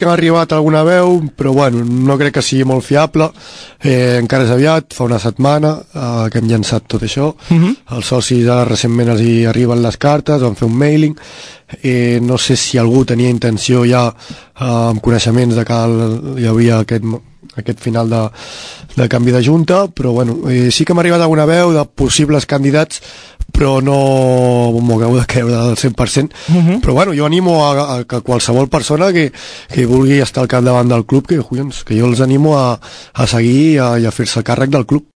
que ha arribat alguna veu, però bueno, no crec que sigui molt fiable. Encara és aviat, fa una setmana que hem llançat tot això. Els socis ara recentment els hi arriben les cartes, van fer un mailing. No sé si algú tenia intenció ja amb coneixements de que hi havia aquest final de canvi de junta, però bueno, sí que m'ha arribat alguna veu de possibles candidats, però no m'ho acabo de creure del 100%. Però bueno, jo animo a que qualsevol persona que vulgui estar al capdavant del club, que jo els animo a seguir i a fer-se càrrec del club.